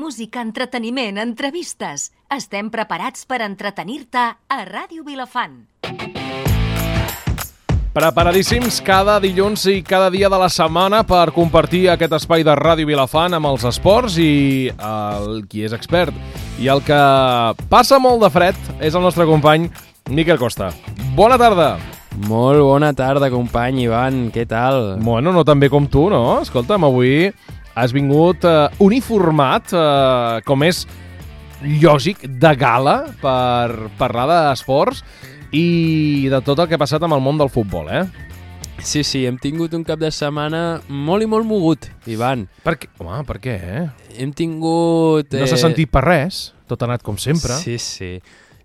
Música, entreteniment, entrevistes. Estem preparats per entretenir-te a Ràdio Vilafant. Preparadíssims cada dilluns i cada dia de la setmana per compartir aquest espai de Ràdio Vilafant amb els esports i qui és expert. I el que passa molt de fred és el nostre company Miquel Costa. Bona tarda! Molt bona tarda, company Ivan, què tal? Bueno, no tan bé com tu, no? Escolta'm, avui has vingut uniformat, com és lògic, de gala per parlar d'esports i de tot el que ha passat amb el món del futbol, eh? Sí, hem tingut un cap de setmana molt i molt mogut, Ivan. Per què? Home, per què, Hem tingut... No s'ha sentit per res, tot ha anat com sempre. Sí.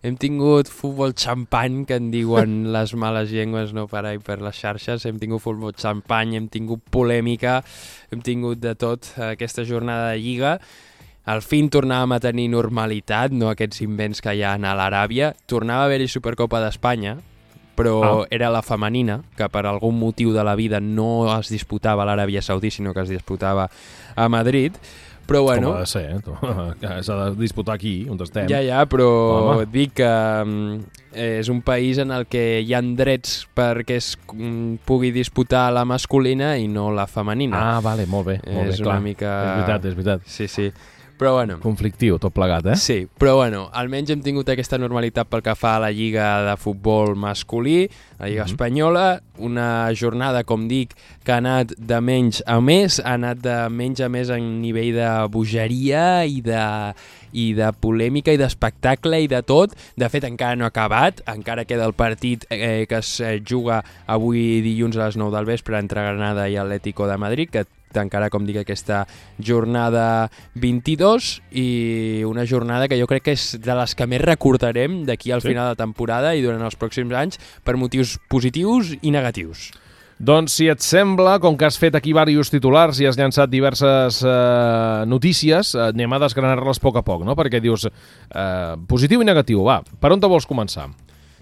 Hem tingut futbol xampany, que en diuen les males llengües, no per ahí per les xarxes. Hem tingut futbol xampany, hem tingut polèmica, hem tingut de tot aquesta jornada de Lliga. Al fin tornàvem a tenir normalitat, no aquests invents que hi ha a l'Aràbia. Tornava a haver-hi Supercopa d'Espanya, però era la femenina, que per algun motiu de la vida no es disputava a l'Aràbia Saudí, sinó que es disputava a Madrid. Però bueno... Com ha de ser, que s'ha de disputar aquí, on estem. Ja, però et dic que és un país en el que hi ha drets perquè es pugui disputar la masculina i no la femenina. Ah, vale, molt bé. És una mica... És veritat. Sí. Però bueno... Conflictiu, tot plegat, eh? Sí, però bueno, almenys hem tingut aquesta normalitat pel que fa a la Lliga de Futbol masculí, la Lliga Espanyola, una jornada, com dic, que ha anat de menys a més, ha anat de menys a més en nivell de bogeria i de polèmica i d'espectacle i de tot. De fet, encara no ha acabat, encara queda el partit que es juga avui dilluns a les 9 del vespre entre Granada i Atlético de Madrid, que encara, com dic, aquesta jornada 22 i una jornada que jo crec que és de les que més recordarem d'aquí al final de temporada i durant els pròxims anys per motius positius i negatius. Doncs, si et sembla, com que has fet aquí diversos titulars i has llançat diverses notícies, anem a desgranar-les a poc, no? Perquè dius positiu i negatiu. Va, per on te vols començar?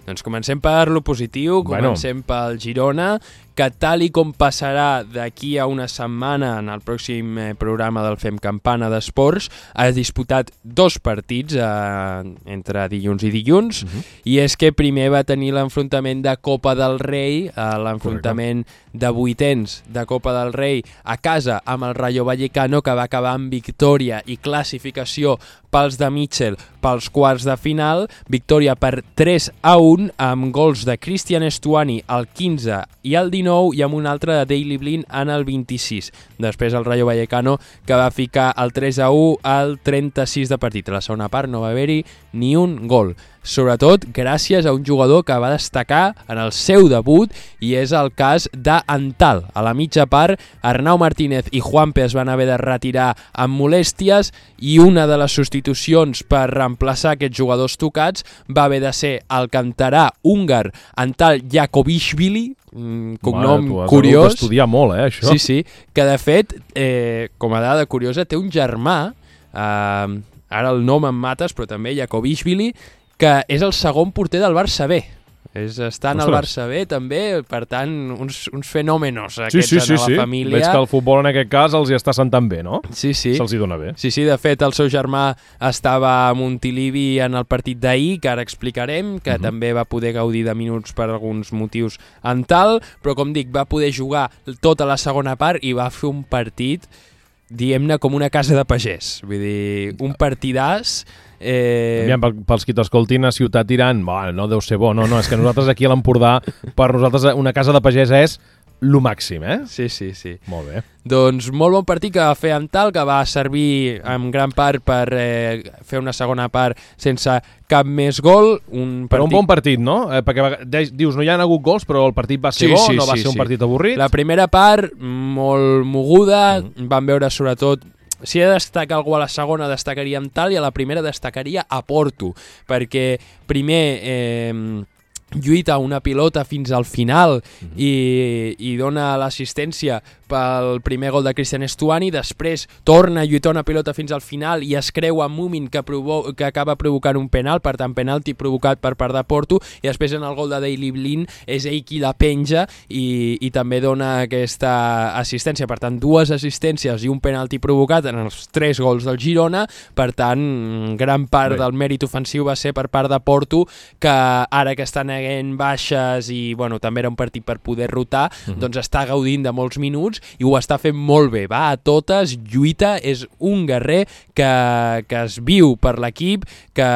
Doncs comencem per lo positiu, comencem pel Girona, que tal i com passarà d'aquí a una setmana en el pròxim programa del Fem Campana d'Esports, ha disputat 2 partits entre dilluns i dilluns, i és que primer va tenir l'enfrontament de Copa del Rei, l'enfrontament de vuitens de Copa del Rei a casa amb el Rayo Vallecano, que va acabar amb victòria i classificació pels de Mitchell pels quarts de final, victòria per 3-1 amb gols de Cristian Estuani al 15 i al 19 i amb un altre de Daley Blind en el 26. Després el Rayo Vallecano, que va ficar el 3-1 al 36 de partit. A la segona part no va haver-hi ni un gol. Sobretot gràcies a un jugador que va destacar en el seu debut, i és el cas d'Antal. A la mitja part, Arnau Martínez i Juanpe es van haver de retirar amb molèsties i una de les substitucions per reemplaçar aquests jugadors tocats va haver de ser el canterà húngar Antal Jakobishvili, cognom curiós. Has d'estudiar molt, això. Sí, que de fet, com a dada curiosa, té un germà, ara el nom em mates, però també Jakobishvili, que és el segon porter del Barça B. Està en el Barça B també, per tant, uns fenòmenos aquests en la família. Veig que el futbol en aquest cas els hi està sentant bé, no? Sí. Se'ls hi dona bé. Sí, de fet, el seu germà estava a Montilivi en el partit d'ahir, que ara explicarem, que també va poder gaudir de minuts per alguns motius en tal, però com dic, va poder jugar tota la segona part i va fer un partit, diguem-ne, com una casa de pagès. Vull dir, un partidàs... Pels qui t'escoltin a Ciutat diran, no deu ser bo, no, és que nosaltres aquí a l'Empordà, per nosaltres una casa de pagès és lo màxim, eh? Sí. Molt bé. Doncs molt bon partit que va fer Antal, que va servir en gran part per fer una segona part sense cap més gol. Però un bon partit, no? Perquè dius, no hi ha hagut gols, però el partit va ser bo, no va ser un partit avorrit. La primera part, molt moguda, vam veure sobretot... Si he de destacar algú a la segona, destacaria Antal, i a la primera destacaria a Porto, perquè primer lluita una pilota fins al final i dona l'assistència pel primer gol de Cristian Estuani, després torna a lluitar una pilota fins al final i es creua Mumin que acaba provocant un penal, per tant penalti provocat per part de Porto, i després en el gol de Daley Blind és ell qui la penja i també dona aquesta assistència, per tant 2 assistències i un penalti provocat en els 3 gols del Girona, per tant gran part del mèrit ofensiu va ser per part de Porto, que ara que estan haguent baixes i bueno, també era un partit per poder rotar, doncs està gaudint de molts minuts i ho està fent molt bé, va a totes, lluita, és un guerrer que es viu per l'equip, que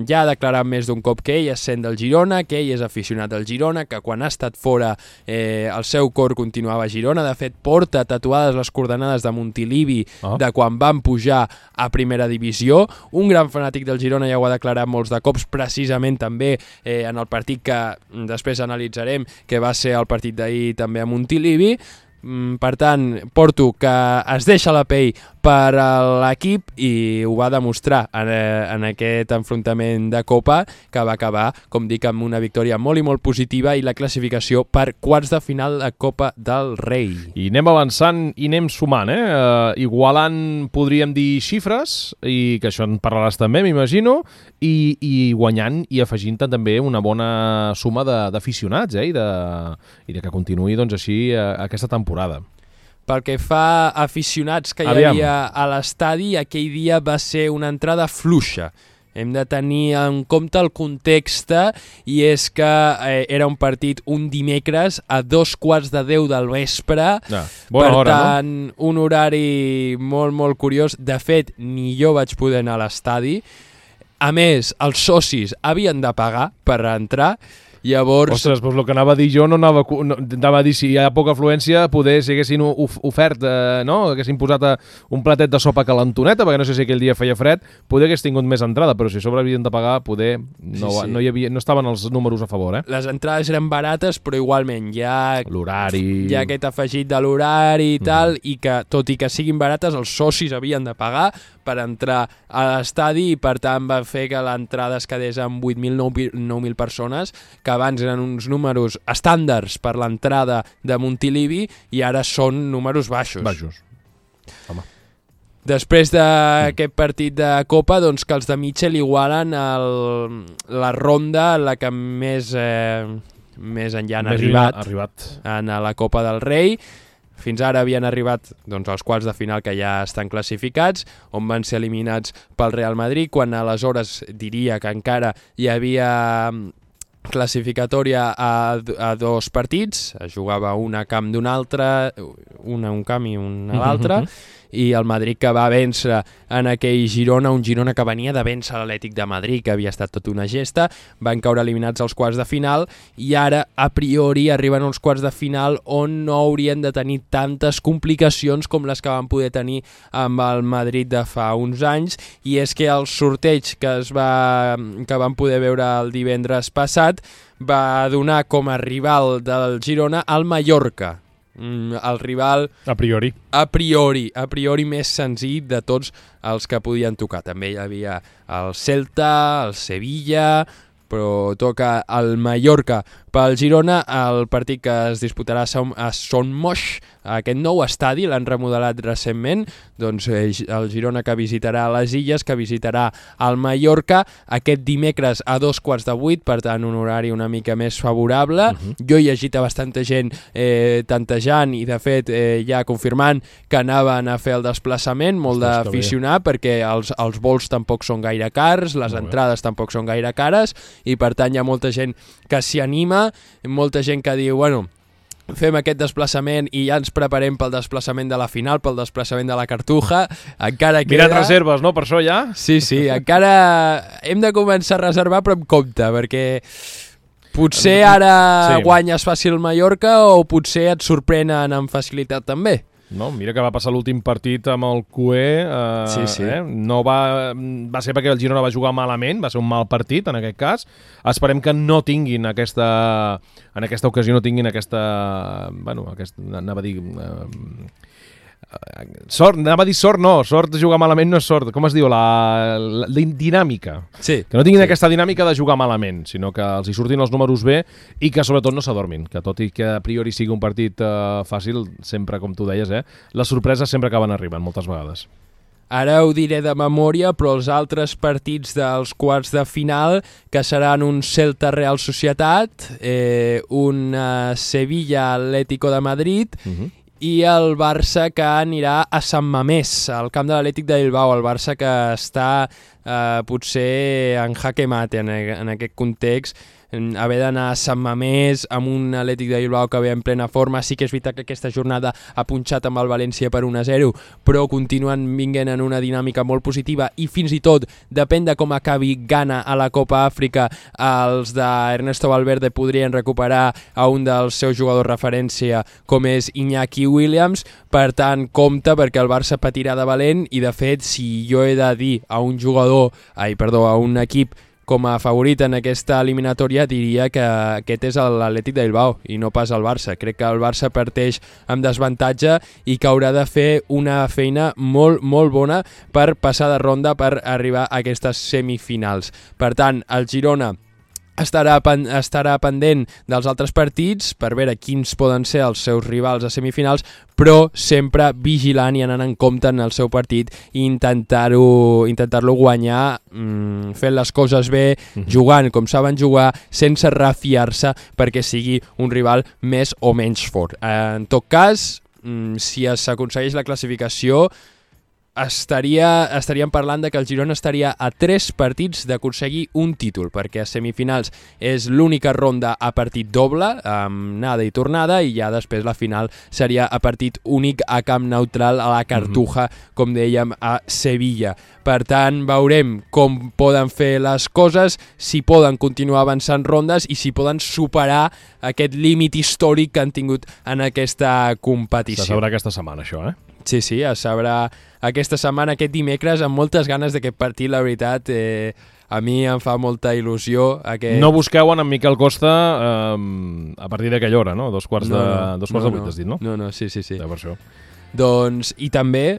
ja ha declarat més d'un cop que ell es sent del Girona, que ell és aficionat del Girona, que quan ha estat fora el seu cor continuava a Girona, de fet porta tatuades les coordenades de Montilivi de quan van pujar a primera divisió, un gran fanàtic del Girona, ja ho ha declarat molts de cops, precisament també en el partit que després analitzarem, que va ser el partit d'ahir també a Montilivi. Per tant, Porto que es deixa la pell per l'equip i ho va demostrar en aquest enfrontament de Copa, que va acabar, com dic, amb una victòria molt i molt positiva i la classificació per quarts de final de Copa del Rei. I anem avançant i anem sumant, igualant, podríem dir, xifres, i que això en parlaràs també, m'imagino, i guanyant i afegint també una bona suma d'aficionats, i de que continuï doncs, així aquesta temporada. Pel que fa a aficionats que hi havia a l'estadi, aquell dia va ser una entrada fluixa. Hem de tenir en compte el context, i és que era un partit un dimecres a 9:15 del vespre, bona hora, tant, no? Un horari molt, molt curiós. De fet, ni jo vaig poder anar a l'estadi. A més, els socis havien de pagar per entrar. Llavors... Ostres, doncs el que anava a dir jo anava a dir si hi ha poca afluència, poder si haguessin ofert, haguessin posat un platet de sopa calentoneta, perquè no sé si aquell dia feia fred, poder hagués tingut més entrada, però si a sobre havien de pagar, poder no estaven els números a favor. Les entrades eren barates, però igualment hi ha l'horari, hi ha aquest afegit de l'horari i tal, i que tot i que siguin barates, els socis havien de pagar per entrar a l'estadi i per tant va fer que l'entrada es quedés amb 8.000-9.000 persones, que abans eren uns números estàndards per l'entrada de Montilivi i ara són números baixos. Home. Després d'aquest partit de Copa, doncs que els de Mitchell igualen la ronda en la que més enllà han arribat en la Copa del Rei. Fins ara havien arribat als quarts de final, que ja estan classificats, on van ser eliminats pel Real Madrid, quan aleshores diria que encara hi havia classificatòria a 2 partits, es jugava una a camp d'un altre, una a un camp i una a l'altre, i el Madrid que va vèncer en aquell Girona, un Girona que venia de vèncer l'Atlètic de Madrid, que havia estat tota una gesta, van caure eliminats als quarts de final i ara a priori arriben als quarts de final on no haurien de tenir tantes complicacions com les que van poder tenir amb el Madrid de fa uns anys, i és que el sorteig que van poder veure el divendres passat va donar com a rival del Girona al Mallorca, el rival a priori més senzill de tots els que podien tocar. També hi havia el Celta, el Sevilla, però toca el Mallorca. Pel Girona, el partit que es disputarà a Son Moix, aquest nou estadi, l'han remodelat recentment, doncs el Girona que visitarà les Illes, que visitarà el Mallorca aquest dimecres a 7:15, per tant un horari una mica més favorable. Jo he llegit a bastanta gent tantejant i de fet ja confirmant que anaven a fer el desplaçament, molt d'aficionar, perquè els vols tampoc són gaire cars, les entrades tampoc són gaire cares, i per tant hi ha molta gent que s'hi anima, molta gent que diu, bueno, fem aquest desplaçament i ja ens preparem pel desplaçament de la final, pel desplaçament de la Cartuja, encara queda... Mirat reserves, no?, per això ja? Sí, encara hem de començar a reservar, però amb compte, perquè potser ara guanyes fàcil Mallorca o potser et sorprenen amb facilitat també. No, mira que va passar l'últim partit amb el CUE, no va ser perquè el Girona va jugar malament, va ser un mal partit en aquest cas. Esperem que no tinguin en aquesta ocasió, no tinguin anava a dir, Sort, anava a dir sort, no, sort de jugar malament no és sort, com es diu, la dinàmica. Sí. Que no tinguin aquesta dinàmica de jugar malament, sinó que els hi surtin els números bé i que sobretot no s'adormin, que tot i que a priori sigui un partit fàcil, sempre, com tu deies, les sorpreses sempre acaben arribant, moltes vegades. Ara ho diré de memòria, però els altres partits dels quarts de final, que seran un Celta Real Societat, un Sevilla Atlético de Madrid, i el Barça que anirà a Sant Mamés, al camp de l'Atlètic de Bilbao, el Barça que està potser en jaque mate en aquest context, haver d'anar a Sant Mamés amb un Atlètic de Bilbao que ve en plena forma. Sí que és veritat que aquesta jornada ha punxat amb el València per 1-0, però continuen vinguent en una dinàmica molt positiva i fins i tot, depèn de com acabi Ghana a la Copa Àfrica, els d'Ernesto Valverde podrien recuperar a un dels seus jugadors referència com és Iñaki Williams. Per tant, compte, perquè el Barça patirà de valent i de fet, si jo he de dir a un equip com a favorit en aquesta eliminatòria, diria que aquest és l'Atlètic de Bilbao i no pas el Barça. Crec que el Barça parteix amb desavantatge i que haurà de fer una feina molt, molt bona per passar de ronda, per arribar a aquestes semifinals. Per tant, el Girona estarà pendent dels altres partits per veure quins poden ser els seus rivals a semifinals, però sempre vigilant i anant en compte en el seu partit i intentar-lo guanyar fent les coses bé, jugant com saben jugar, sense refiar-se perquè sigui un rival més o menys fort. En tot cas, si s'aconsegueix la classificació, estaríem parlant de que el Girona estaria a 3 partits d'aconseguir un títol, perquè a semifinals és l'única ronda a partit doble, amb anada i tornada, i ja després la final seria a partit únic a camp neutral a la Cartuja, com dèiem, a Sevilla. Per tant, veurem com poden fer les coses, si poden continuar avançant rondes i si poden superar aquest límit històric que han tingut en aquesta competició. Se sabrà aquesta setmana, això, Sí, es sabrà aquesta setmana, aquest dimecres, amb moltes ganes d'aquest partit, la veritat. A mi em fa molta il·lusió. No busqueu en Miquel Costa a partir d'aquella hora, no? Dos quarts de 8, has dit, no? No, sí. Ja, per això. Doncs, i també,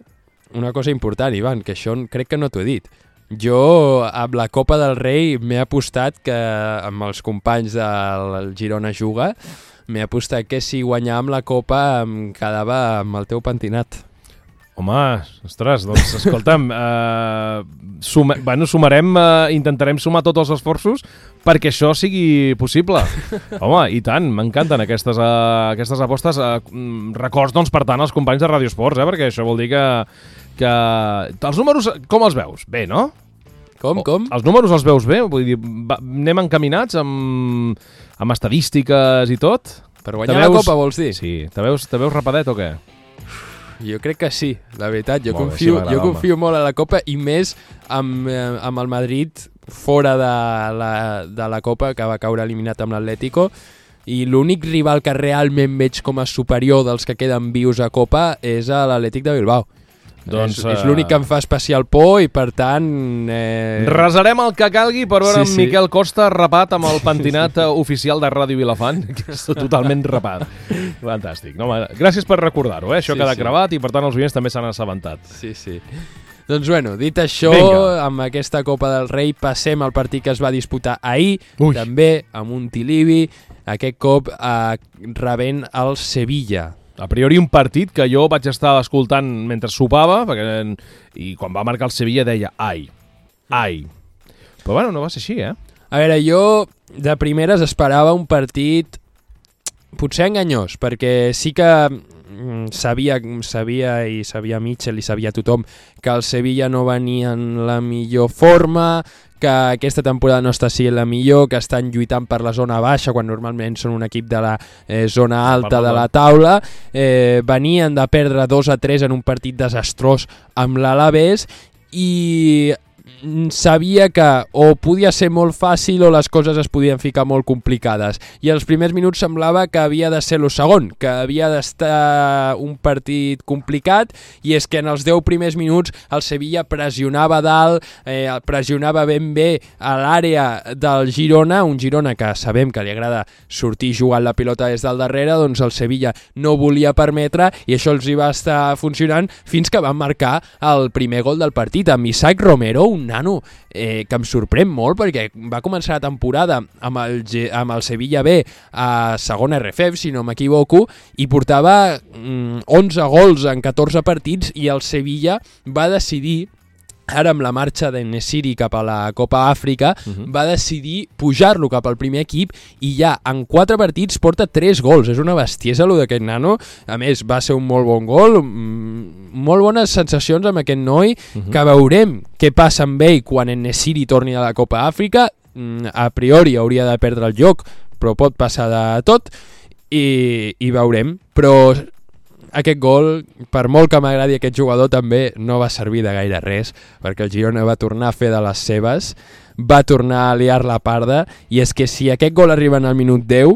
una cosa important, Ivan, que això crec que no t'ho he dit. Jo, amb la Copa del Rei, m'he apostat que, amb els companys del Girona Juga, m'he apostat que si guanyàvem la Copa em quedava amb el teu pentinat. Home, ostres, doncs escolta'm, sumarem, intentarem sumar tots els esforços perquè això sigui possible. Home, i tant, m'encanten aquestes apostes. Records, doncs, per tant, als companys de Ràdio Esports, perquè això vol dir que... Els números, com els veus? Bé, no? Com? Els números els veus bé? Vull dir, anem encaminats amb estadístiques i tot? Per guanyar la Copa, vols dir? Sí. Te veus rapadet o què? Jo crec que sí, la veritat. Jo confio molt a la Copa i més amb el Madrid fora de la Copa, que va caure eliminat amb l'Atlético, i l'únic rival que realment veig com a superior dels que queden vius a Copa és l'Atlètic de Bilbao. Doncs, és l'únic que em fa especial por i per tant... Resarem el que calgui per veure en Miquel Costa rapat amb el pentinat oficial de Ràdio Vilafant, que és totalment rapat. Fantàstic. No, gràcies per recordar-ho, això queda gravat i per tant els oients també s'han assabentat. Sí. Doncs bueno, dit això, amb aquesta Copa del Rei passem al partit que es va disputar ahir, també amb un Tilibi, aquest cop rebent el Sevilla. A priori un partit que jo vaig estar escoltant mentre sopava, i quan va marcar el Sevilla deia ai. Però bueno, no va ser així, A veure, jo de primeres esperava un partit potser enganyós, perquè sí que sabia Mitchell i sabia tothom que el Sevilla no venia en la millor forma, que aquesta temporada no està sent la millor, que estan lluitant per la zona baixa quan normalment són un equip de la zona alta de la taula. Venien de perdre 2-3 en un partit desastrós amb l'Alavés i sabia que o podia ser molt fàcil o les coses es podien ficar molt complicades. I els primers minuts semblava que havia de ser el segon, que havia d'estar un partit complicat, i és que en els 10 primers minuts el Sevilla pressionava dalt, pressionava ben bé a l'àrea del Girona, un Girona que sabem que li agrada sortir jugant la pilota des del darrere, doncs el Sevilla no volia permetre i això els hi va estar funcionant fins que van marcar el primer gol del partit amb Isaac Romero, un nano que em sorprèn molt perquè va començar la temporada amb el Sevilla B a segona RFF, si no m'equivoco, i portava 11 gols en 14 partits, i el Sevilla va decidir, ara amb la marxa d'En-Nesyri cap a la Copa Àfrica, va decidir pujar-lo cap al primer equip i ja en 4 partits porta 3 gols. És una bestiesa allò d'aquest nano. A més, va ser un molt bon gol, molt bones sensacions amb aquest noi, que veurem què passa amb ell quan En-Nesyri torni a la Copa Àfrica. A priori hauria de perdre el lloc, però pot passar de tot, i veurem. Però aquest gol, per molt que m'agradi aquest jugador, també no va servir de gaire res, perquè el Girona va tornar a fer de les seves, va tornar a liar la parda, i és que si aquest gol arriba en el minut 10,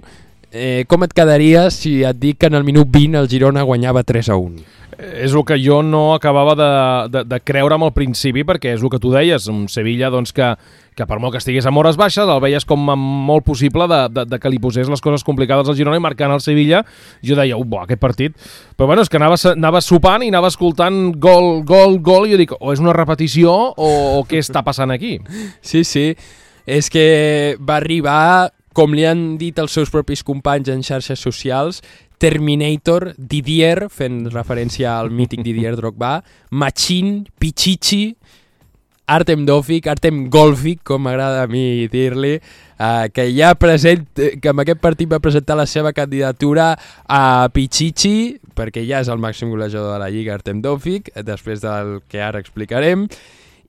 com et quedaria si et dic que en el minut 20 el Girona guanyava 3-1? És el que jo no acabava de creure al principi, perquè és el que tu deies, un Sevilla doncs, que per molt que estigués amb hores baixes el veies com molt possible de que li posés les coses complicades al Girona, i marcant el Sevilla jo deia, aquest partit, però bueno, és que anava sopant i anava escoltant gol, i jo dic, o és una repetició o què està passant aquí? Sí, és que va arribar, com li han dit els seus propis companys en xarxes socials, Terminator, Didier, fent referència al mític Didier Drogba, Machín, Pichichi, Artem Dovbyk, Artem Golvik, com m'agrada a mi dir-li, que amb aquest partit va presentar la seva candidatura a Pichichi, perquè ja és el màxim golejador de la Lliga, Artem Dovbyk, després del que ara explicarem,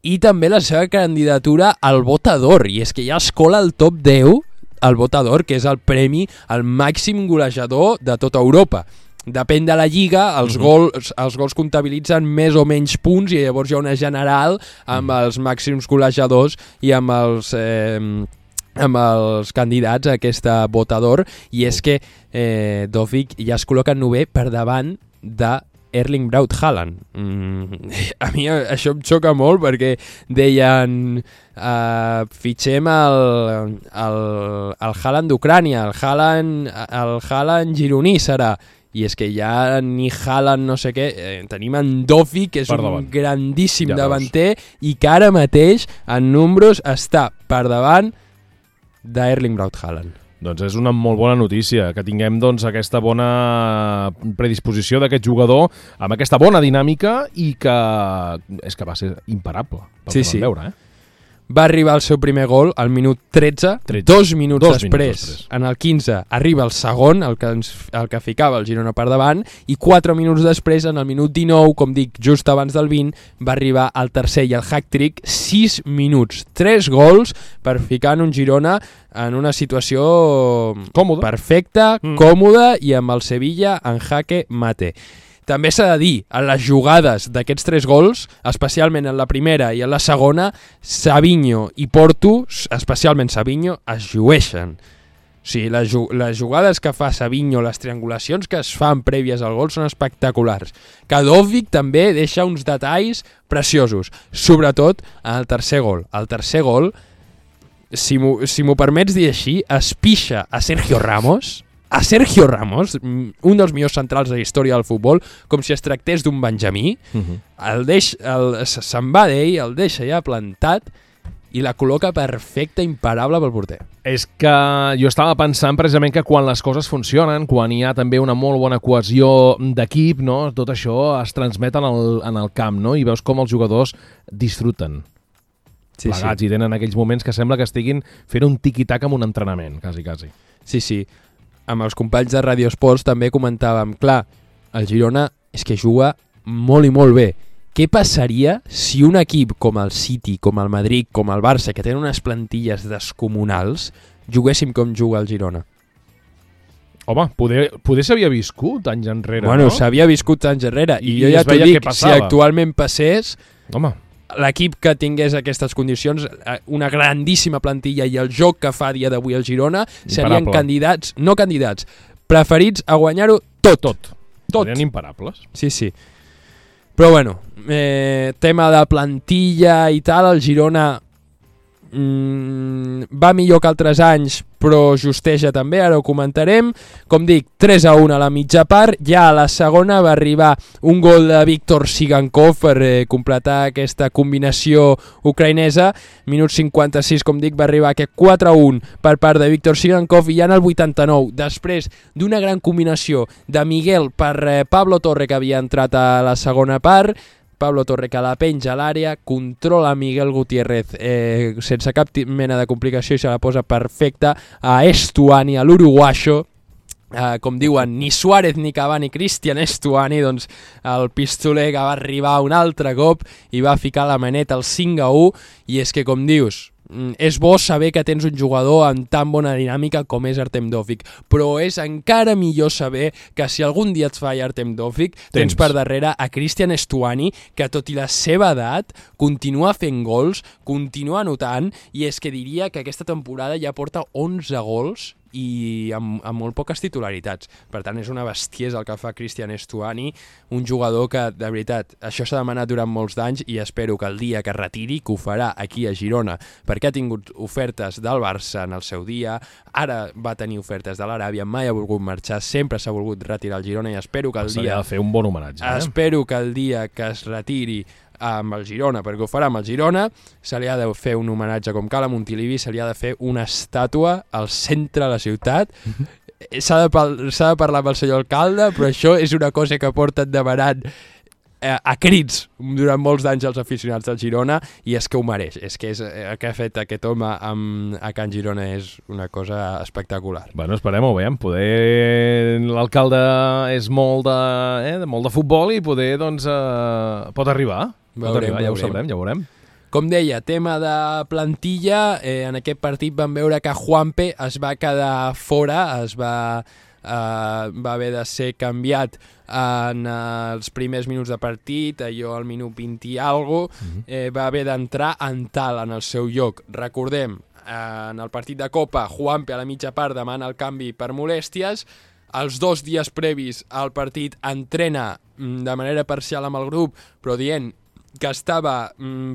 i també la seva candidatura al Botador, i és que ja es cola al top 10 el Botador, que és el premi al màxim golejador de tota Europa. Depèn de la Lliga, els gols comptabilitzen més o menys punts, i llavors hi ha una general amb els màxims golejadors i amb els candidats a aquesta Botador, i és que Dovbyk ja es col·loca en 9è per davant de Erling Braut Haaland. A mi això em xoca molt, perquè deien fitxem el Haaland d'Ucrània, el Haaland gironí serà, i és que ja ni Haaland no sé què, tenim en Dovbyk, que és un grandíssim davanter, i que ara mateix en números està per davant d'Erling Braut Haaland. Doncs és una molt bona notícia, que tinguem doncs, aquesta bona predisposició d'aquest jugador, amb aquesta bona dinàmica, i que és que va ser imparable, pel que vam veure, Va arribar el seu primer gol al minut 13, 2 minuts després, en el 15, arriba el segon, el que ficava el Girona per davant, i 4 minuts després, en el minut 19, com dic, just abans del 20, va arribar el tercer i el hat-trick, 6 minuts, 3 gols per ficar en un Girona en una situació perfecta, còmoda, i amb el Sevilla en jaque mate. També s'ha de dir, en les jugades d'aquests 3 gols, especialment en la primera i en la segona, Savinho i Porto, especialment Savinho, es llueixen. O sigui, les jugades que fa Savinho, les triangulacions que es fan prèvies al gol són espectaculars. Que Dovbyk també deixa uns detalls preciosos, sobretot en el tercer gol. El tercer gol, si m'ho permets dir així, es pixa a Sergio Ramos, un dels millors centrals de la història del futbol, com si es tractés d'un benjamí, se'n va d'ell, el deixa ja plantat i la col·loca perfecta, imparable pel porter. És que jo estava pensant precisament que quan les coses funcionen, quan hi ha també una molt bona cohesió d'equip, no? Tot això es transmet en el camp, no? I veus com els jugadors disfruten plegats, i tenen aquells moments que sembla que estiguin fent un tiqui-tac amb un entrenament, quasi. Sí. Amb els companys de Radio Esports també comentàvem, clar, el Girona és que juga molt i molt bé. Què passaria si un equip com el City, com el Madrid, com el Barça, que tenen unes plantilles descomunals, juguéssim com juga el Girona? Home, poder s'havia viscut anys enrere, bueno, no? S'havia viscut anys enrere, i jo ja t'ho dic, si actualment passés... Home, l'equip que tingués aquestes condicions, una grandíssima plantilla i el joc que fa a dia d'avui el Girona, serien preferits a guanyar-ho tot. Serien imparables. Sí. Però bueno, tema de plantilla i tal, el Girona va millor que altres anys, però justeja també, ara ho comentarem. Com dic, 3-1 a la mitja part, ja a la segona va arribar un gol de Víctor Sigankov per completar aquesta combinació ucraïnesa. Minut 56, com dic, va arribar aquest 4-1 per part de Víctor Sigankov, i ja en el 89, després d'una gran combinació de Miguel per Pablo Torre, que havia entrat a la segona part, Pablo Torre que la penja a l'àrea, controla Miguel Gutiérrez sense cap mena de complicació i se la posa perfecta a Estuani, a l'uruguaixo. Com diuen, ni Suárez ni Cavani, Cristian Estuani, doncs el pistoler que va arribar un altre cop i va ficar la maneta al 5-1, i és que, com dius, és bo saber que tens un jugador amb tan bona dinàmica com és Artem Dovbyk, però és encara millor saber que si algun dia et falla Artem Dovbyk, tens per darrere a Cristian Estuani, que tot i la seva edat continua fent gols, continua anotant, i és que diria que aquesta temporada ja porta 11 gols i amb molt poques titularitats. Per tant, és una bestiesa el que fa Cristian Estuani, un jugador que, de veritat, això s'ha demanat durant molts d'anys, i espero que el dia que retiri, que ho farà aquí a Girona, perquè ha tingut ofertes del Barça en el seu dia, ara va tenir ofertes de l'Aràbia, mai ha volgut marxar, sempre s'ha volgut retirar al Girona, i espero que el dia... S'ha de fer un bon homenatge. Espero que el dia que es retiri amb el Girona, perquè ho farà amb el Girona, se li ha de fer un homenatge com cal a Montilivi, se li ha de fer una estàtua al centre de la ciutat. S'ha de parlar amb el senyor alcalde, però això és una cosa que porten demanant a crits durant molts d'anys els aficionats del Girona, i és que ho mereix. És que el que ha fet aquest home a Can Girona és una cosa espectacular. Bueno, esperem-ho, veiem. Poder l'alcalde és molt de futbol i poder, doncs, pot arribar. Ja ho sabrem, ja ho veurem. Com deia, tema de plantilla, en aquest partit vam veure que Juanpe es va quedar fora, va haver de ser canviat en els primers minuts de partit, allò al minut 20 i algo, va haver d'entrar Antal en el seu lloc. Recordem, en el partit de Copa, Juanpe a la mitja part demana el canvi per molèsties. Els 2 dies previs al partit entrena de manera parcial amb el grup, però dient que estava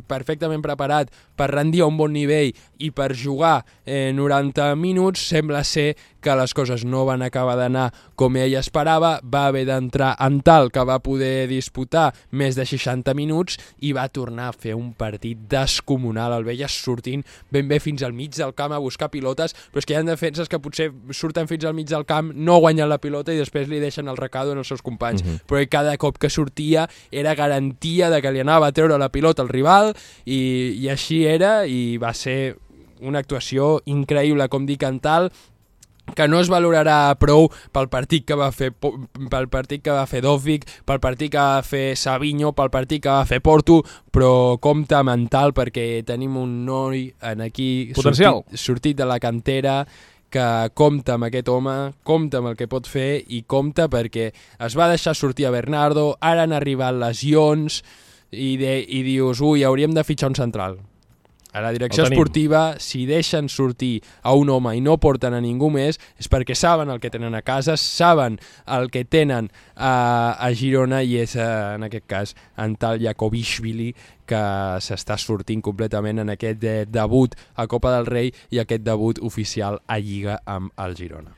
perfectament preparat per rendir a un bon nivell i per jugar 90 minuts. Sembla ser que les coses no van acabar d'anar com ell esperava, va haver d'entrar Antal, que va poder disputar més de 60 minuts i va tornar a fer un partit descomunal. El veies sortint ben bé fins al mig del camp a buscar pilotes, però és que hi ha defenses que potser surten fins al mig del camp, no guanyen la pilota i després li deixen el recado als seus companys, però cada cop que sortia era garantia de que li anava a treure la pilota al rival, i així era, i va ser una actuació increïble, com dic, Antal, que no es valorarà prou pel partit que va fer Dovbyk, pel partit que va fer Savinho, pel partit que va fer Porto, però compta amb Antal, perquè tenim un noi aquí sortit de la cantera que compta amb aquest home, compta amb el que pot fer, i compta perquè es va deixar sortir a Bernardo, ara han arribat lesions, i dius, hauríem de fitxar un central. A la direcció esportiva, si deixen sortir a un home i no porten a ningú més, és perquè saben el que tenen a casa, saben el que tenen a Girona, i és, en aquest cas, Antal Jakobishvili, que s'està sortint completament en aquest debut a Copa del Rei i aquest debut oficial a Lliga amb el Girona.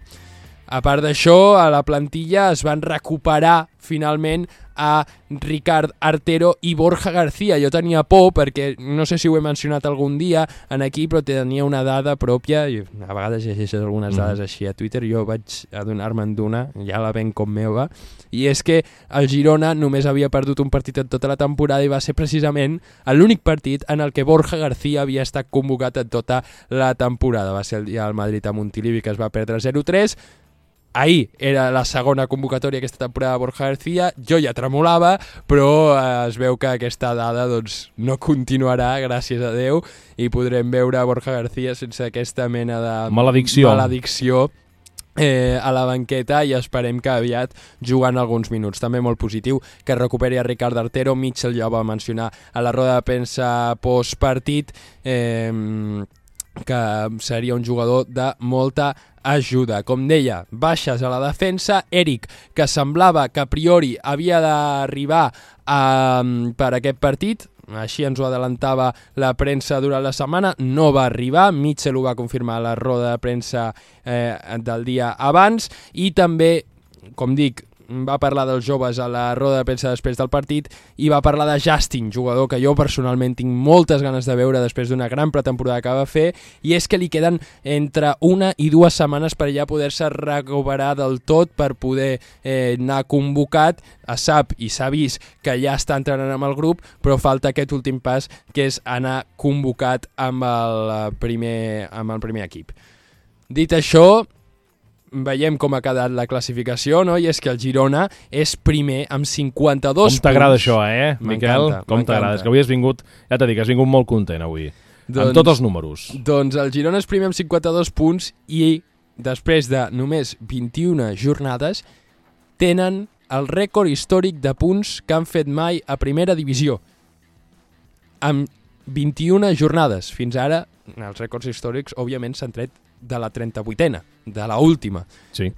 A part d'això, a la plantilla es van recuperar finalment a Ricard Artero i Borja García. Jo tenia por perquè, no sé si ho he mencionat algun dia en aquí, però tenia una dada pròpia, i a vegades llegeixes algunes dades així a Twitter, jo vaig adonar-me'n d'una, ja la ven com meva, i és que el Girona només havia perdut un partit en tota la temporada, i va ser precisament l'únic partit en el que Borja García havia estat convocat en tota la temporada. Va ser el dia del Madrid a Montilivi, que es va perdre 0-3, Ahir era la segona convocatòria aquesta temporada de Borja García, jo ja tremolava, però es veu que aquesta dada doncs, no continuarà, gràcies a Déu, i podrem veure Borja García sense aquesta mena de maledicció a la banqueta i esperem que aviat jugant alguns minuts. També molt positiu que recuperi a Ricard Artero. Mitchell ja va mencionar a la roda de premsa postpartit que seria un jugador de molta ajuda. Com deia, baixes a la defensa. Eric, que semblava que a priori havia d'arribar per aquest partit, així ens ho adelantava la premsa durant la setmana, no va arribar. Mitchell ho va confirmar a la roda de premsa del dia abans, i també, com dic, va parlar dels joves a la roda de premsa després del partit, i va parlar de Justin, jugador que jo personalment tinc moltes ganes de veure després d'una gran pretemporada que va fer, i és que li queden entre 1 i 2 setmanes per ja poder-se recuperar del tot, per poder anar convocat. Es sap i s'ha vist que ja està entrenant amb el grup, però falta aquest últim pas, que és anar convocat amb el primer equip. Dit això, veiem com ha quedat la classificació, no? I és que el Girona és primer amb 52 punts. Com t'agrada això, Miquel? Com t'agrada? És que avui has vingut, ja t'he dit, has vingut molt content avui, amb tots els números. Doncs el Girona és primer amb 52 punts i després de només 21 jornades tenen el rècord històric de punts que han fet mai a primera divisió. Amb 21 jornades. Fins ara, els rècords històrics, òbviament, s'han tret de la 38a, de la última. Sí.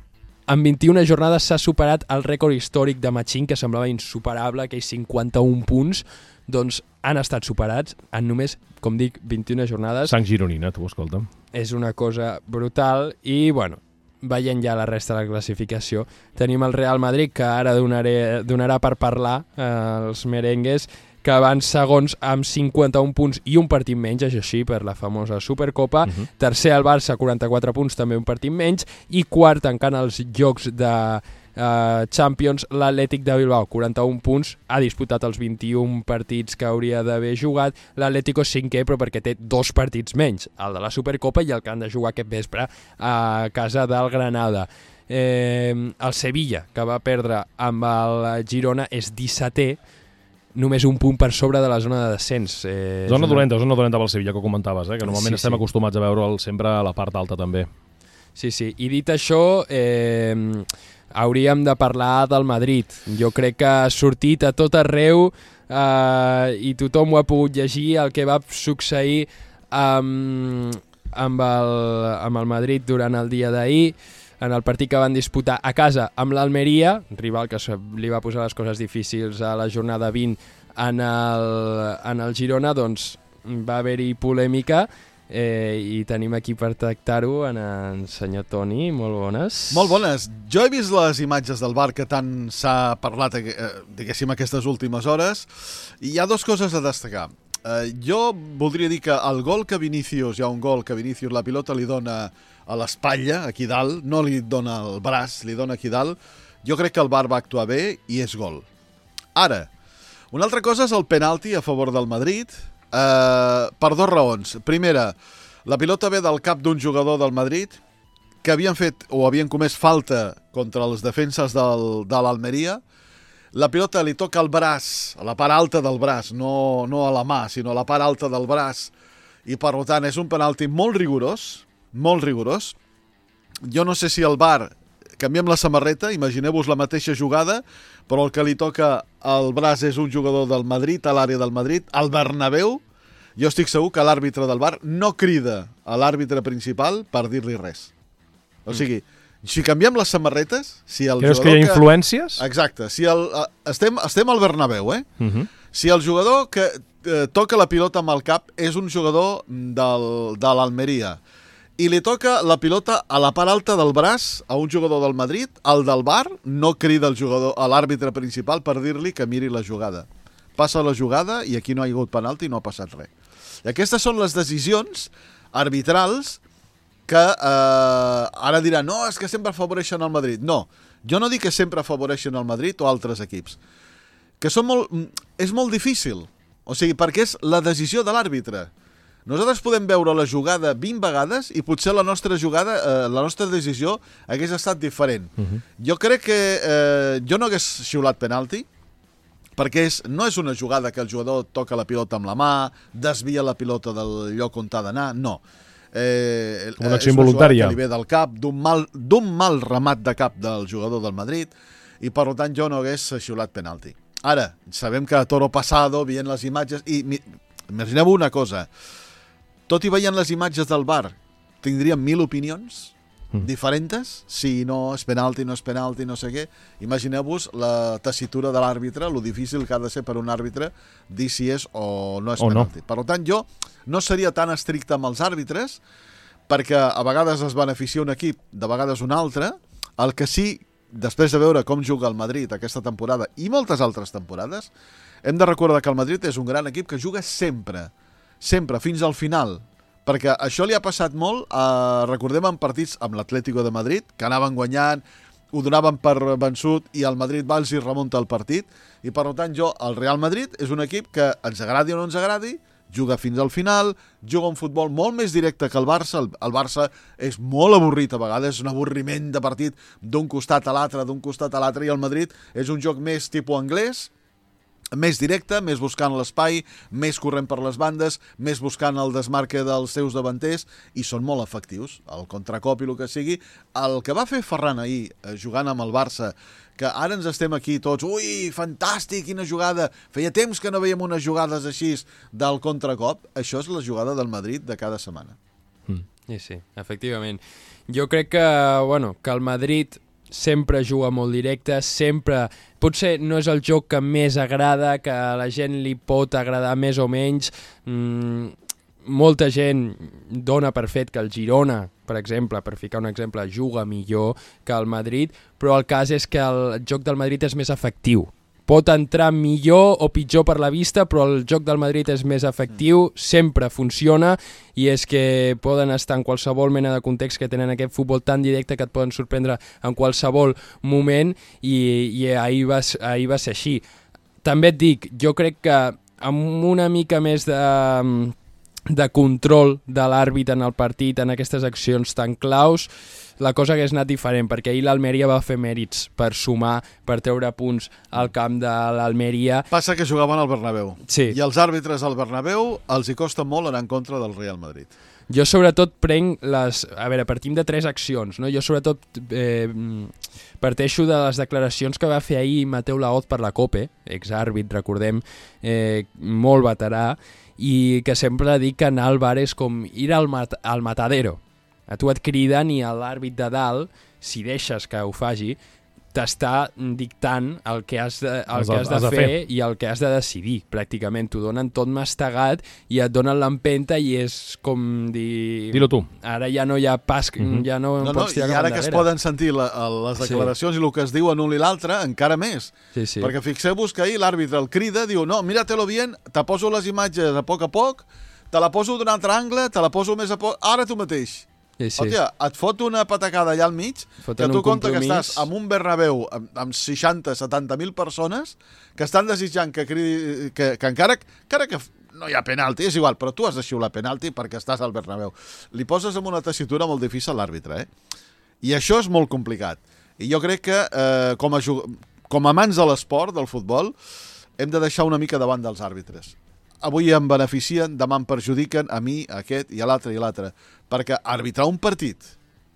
En 21 jornades s'ha superat el rècord històric de Machín, que semblava insuperable, aquells 51 punts, doncs han estat superats en només, com dic, 21 jornades. Sang gironina, tu, escolta. És una cosa brutal i, bueno, veient ja la resta de la classificació, tenim el Real Madrid, que ara donarà per parlar, els merengues, que van segons amb 51 punts i un partit menys, això sí, per la famosa Supercopa. Tercer el Barça, 44 punts, també un partit menys, i quart, tancant els jocs de Champions, l'Atlètic de Bilbao, 41 punts, ha disputat els 21 partits que hauria d'haver jugat. L'Atlético cinquè, però perquè té 2 partits menys, el de la Supercopa i el que han de jugar aquest vespre a casa del Granada. El Sevilla, que va perdre amb el Girona, és 17è, només un punt per sobre de la zona de descens. Zona dolenta pel Sevilla, que ho comentaves, que normalment estem acostumats a veure'l sempre a la part alta també. Sí, i dit això, hauríem de parlar del Madrid. Jo crec que ha sortit a tot arreu i tothom ho ha pogut llegir, el que va succeir amb el Madrid durant el dia d'ahir, en el partit que van disputar a casa amb l'Almeria, rival que li va posar les coses difícils a la jornada 20 en el Girona, doncs va haver-hi polèmica i tenim aquí per tractar-ho en senyor Toni. Molt bones. Molt bones. Jo he vist les imatges del bar que tant s'ha parlat, diguéssim, aquestes últimes hores, i hi ha 2 coses a destacar. Jo voldria dir que el gol que Vinícius, hi ha un gol que Vinícius la pilota li dona a l'espatlla, aquí dalt, no li dona el braç, li dona aquí dalt. Jo crec que el VAR va actuar bé i és gol. Ara, una altra cosa és el penalti a favor del Madrid, per 2 raons. Primera, la pilota ve del cap d'un jugador del Madrid que havien fet o havien comès falta contra els defenses de l'Almeria. La pilota li toca al braç, a la part alta del braç, no a la mà, sinó a la part alta del braç, i per tant és un penalti molt rigorós, molt rigorós. Jo no sé si el VAR, canviem la samarreta, imagineu-vos la mateixa jugada, però el que li toca al braç és un jugador del Madrid, a l'àrea del Madrid, al Bernabéu. Jo estic segur que l'àrbitre del VAR no crida a l'àrbitre principal per dir-li res. O sigui, si canviem les samarretes... Creus que hi ha influències? Exacte. Estem al Bernabéu, Si el jugador que toca la pilota amb el cap és un jugador de l'Almeria i li toca la pilota a la part alta del braç a un jugador del Madrid, el del VAR no crida a l'àrbitre principal per dir-li que miri la jugada. Passa la jugada i aquí no ha hagut penalti i no ha passat res. I aquestes són les decisions arbitrals que ara diran, no, és que sempre afavoreixen el Madrid. No, jo no dic que sempre afavoreixen el Madrid o altres equips. Que és molt difícil. O sigui, perquè és la decisió de l'àrbitre. Nosaltres podem veure la jugada 20 vegades i potser la nostra decisió hagués estat diferent. Jo crec que jo no hagués xiulat penalti, perquè no és una jugada que el jugador toca la pilota amb la mà, desvia la pilota del lloc on ha d'anar, no. una acció involuntària que li ve del cap, d'un mal remat de cap del jugador del Madrid, i per tant jo no hagués xiulat penalti. Ara, sabem que a toro pasado, veient les imatges, i imagineu una cosa, tot i veient les imatges del VAR, tindríem 1.000 opinions diferents, si no és penalti, no és penalti, no sé què. Imagineu-vos la tessitura de l'àrbitre, lo difícil que ha de ser per un àrbitre dir si és o no és penalti. Per tant, jo no seria tan estricte amb els àrbitres, perquè a vegades es beneficia un equip, de vegades un altre. El que sí, després de veure com juga el Madrid aquesta temporada i moltes altres temporades, hem de recordar que el Madrid és un gran equip que juga sempre, fins al final. Perquè això li ha passat molt, recordem en partits amb l'Atlético de Madrid, que anaven guanyant, ho donaven per vençut i el Madrid va i remunta el partit. I per tant el Real Madrid és un equip que ens agradi o no ens agradi, juga fins al final, juga un futbol molt més directe que el Barça. El Barça és molt avorrit a vegades, és un avorriment de partit d'un costat a l'altre, i el Madrid és un joc més tipus anglès, més directe, més buscant l'espai, més corrent per les bandes, més buscant el desmarque dels seus davanters, i són molt efectius, el contracop i el que sigui. El que va fer Ferran ahir, jugant amb el Barça, que ara ens estem aquí tots, ui, fantàstic, quina jugada, feia temps que no veiem unes jugades així del contracop, això és la jugada del Madrid de cada setmana. Sí, efectivament. Jo crec que el Madrid sempre juga molt directe, sempre... Potser no és el joc que més agrada, que a la gent li pot agradar més o menys. Molta gent dona per fet que el Girona, per exemple, per ficar un exemple, juga millor que el Madrid, però el cas és que el joc del Madrid és més efectiu. Pot entrar millor o pitjor per la vista, però el joc del Madrid és més efectiu, sempre funciona, i és que poden estar en qualsevol mena de context, que tenen aquest futbol tan directe que et poden sorprendre en qualsevol moment, i ahir va ser així. També et dic, jo crec que amb una mica més de control de l'àrbit en el partit, en aquestes accions tan claus, la cosa hagués anat diferent, perquè ahir l'Almeria va fer mèrits per sumar, per treure punts al camp de l'Almeria. Passa que jugaven al Bernabéu. Sí. I els àrbitres al Bernabéu els hi costa molt anar en contra del Real Madrid. Jo sobretot prenc les... A veure, partim de 3 accions, no? Jo sobretot parteixo de les declaracions que va fer ahir Mateu Laoz per la COPE, exàrbit, recordem, molt veterà, i que sempre dic que anar al bar és com ir al matadero. A tu et criden i l'àrbit de dalt, si deixes que ho faci, t'està dictant el que has de fer i el que has de decidir, pràcticament. T'ho donen tot mastegat i et donen l'empenta i és com dir... Dilo tu. Ara ja no hi ha pas, ja no pots tirar i ara que es poden sentir les declaracions i el que es diuen un i l'altre, encara més. Sí. Perquè fixeu-vos que ahir l'àrbitre el crida, diu, no, míratelo bien, te poso les imatges a poc, te la poso d'un altre angle, te la poso més a poc, ara tu mateix. Sí. Hòstia, et fot una patacada allà al mig, que tu compta que estàs en un Bernabéu amb 60-70.000 persones que estan desitjant que encara que no hi ha penalti, és igual, però tu has de xiular penalti perquè estàs al Bernabéu. Li poses en una tessitura molt difícil a l'àrbitre, I això és molt complicat. I jo crec que com a amants de l'esport, del futbol, hem de deixar una mica davant dels àrbitres. Avui em beneficien, demà em perjudiquen, a mi, a aquest i a l'altre, perquè arbitrar un partit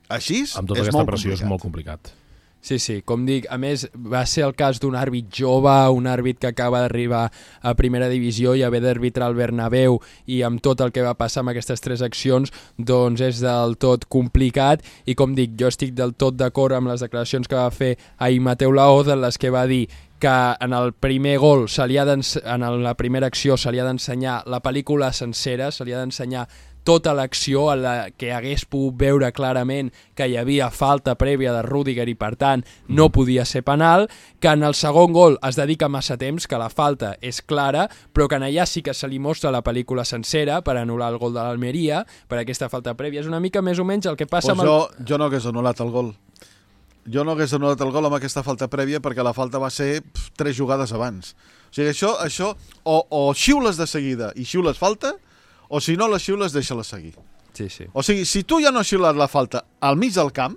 així és molt complicat. Amb tota aquesta pressió és molt complicat. Sí, com dic, a més va ser el cas d'un àrbit jove, un àrbit que acaba d'arribar a primera divisió i haver d'arbitrar al Bernabéu, i amb tot el que va passar amb aquestes 3 accions, doncs és del tot complicat. I com dic, jo estic del tot d'acord amb les declaracions que va fer ahir Mateu Laoz, en les que va dir que en el primer gol, en la primera acció, se li ha d'ensenyar la pel·lícula sencera, se li ha d'ensenyar tota l'acció, en la que hagués pogut veure clarament que hi havia falta prèvia de Rüdiger i per tant no podia ser penal, que en el segon gol es dedica massa temps, que la falta és clara, però que en allà sí que se li mostra la pel·lícula sencera per anul·lar el gol de l'Almeria, per aquesta falta prèvia. És una mica més o menys el que passa amb jo no hagués anul·lat el gol. Jo no hagués anul·lat el gol amb aquesta falta prèvia perquè la falta va ser 3 jugades abans. O sigui, això o xiules de seguida i xiules falta, o si no les xiules, deixa-la seguir. Sí. O sigui, si tu ja no has xiulat la falta al mig del camp,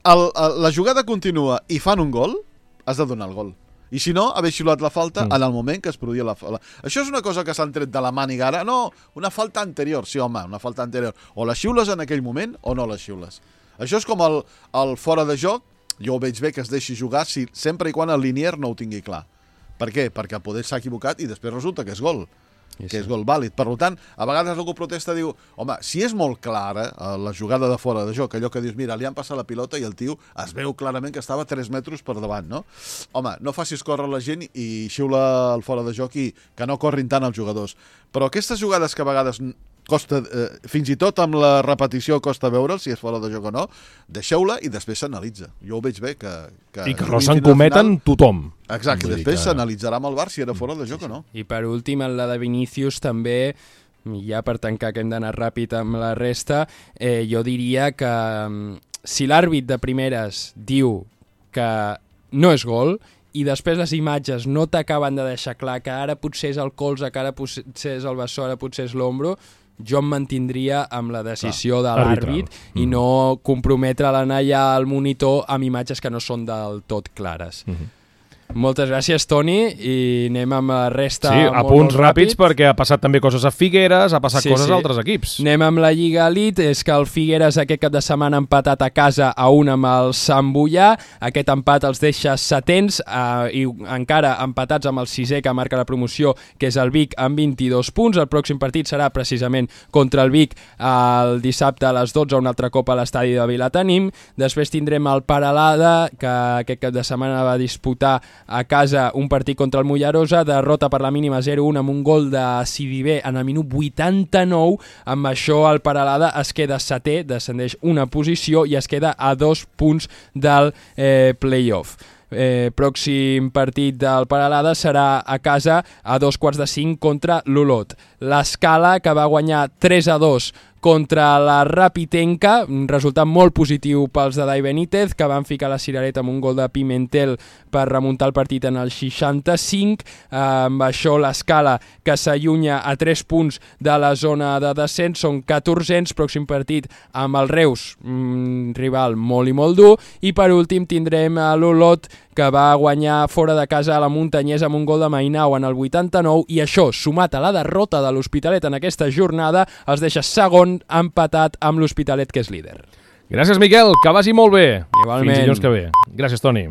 la jugada continua i fan un gol, has de donar el gol. I si no, haver xiulat la falta en el moment que es produïa la falta. Això és una cosa que s'han tret de la màniga ara. No, una falta anterior. Sí, home, una falta anterior. O la xiules en aquell moment o no la xiules. Això és com el fora de joc. Jo ho veig bé que es deixi jugar sempre i quan el linier no ho tingui clar. Per què? Perquè poder s'ha equivocat i després resulta que és gol. Que és gol vàlid. Per tant, a vegades algú protesta, diu, home, si és molt clara la jugada de fora de joc, allò que dius, mira, li han passat la pilota i el tio es veu clarament que estava 3 metres per davant, no? Home, no facis córrer la gent i xiula el fora de joc i que no corrin tant els jugadors. Però aquestes jugades que a vegades costa, fins i tot amb la repetició costa veure'l, si és fora de joc o no, deixeu-la i després s'analitza. Jo ho veig bé que I que no se'n cometen tothom. Exacte, després s'analitzarà amb el VAR si era fora de joc o no. I per últim, en la de Vinícius també, ja per tancar que hem d'anar ràpid amb la resta, jo diria que si l'àrbit de primeres diu que no és gol i després les imatges no t'acaben de deixar clar que ara potser és el colze, que ara potser és el bessó, ara potser és l'ombro, jo em mantindria amb la decisió de l'àrbit i no comprometre l'anar ja al monitor amb imatges que no són del tot clares. Moltes gràcies, Toni, i anem amb la resta a punts ràpids perquè ha passat també coses a Figueres, ha passat coses a altres equips. Anem amb la Lliga Elite, és que el Figueres aquest cap de setmana ha empatat a casa a 1 amb el Sant Boià, aquest empat els deixa setens i encara empatats amb el sisè que marca la promoció, que és el Vic, amb 22 punts. El pròxim partit serà precisament contra el Vic el dissabte a les 12, un altre cop a l'estadi de Vilatenim. Després tindrem el Peralada, que aquest cap de setmana va disputar a casa un partit contra el Mollerosa, derrota per la mínima 0-1 amb un gol de Sidibe en el minut 89. Amb això el Peralada es queda setè, descendeix una posició i es queda a 2 punts del play-off. Pròxim partit del Peralada serà a casa a 4:45 contra l'Olot. L'Escala, que va guanyar 3-2 contra la Rapitenca, un resultat molt positiu pels de Dai Benítez, que van ficar la cirereta amb un gol de Pimentel per remuntar el partit en el 65. Amb això l'Escala, que s'allunya a 3 punts de la zona de descens, són 14ens. Pròxim partit amb el Reus, rival molt i molt dur. I per últim tindrem l'Olot, que va guanyar fora de casa a la Muntanyesa amb un gol de Mainau en el 89, i això, sumat a la derrota de l'Hospitalet en aquesta jornada, els deixa segon empatat amb l'Hospitalet, que és líder. Gràcies, Miquel, que vagi molt bé. Igualment. Fins dilluns que ve. Gràcies, Toni.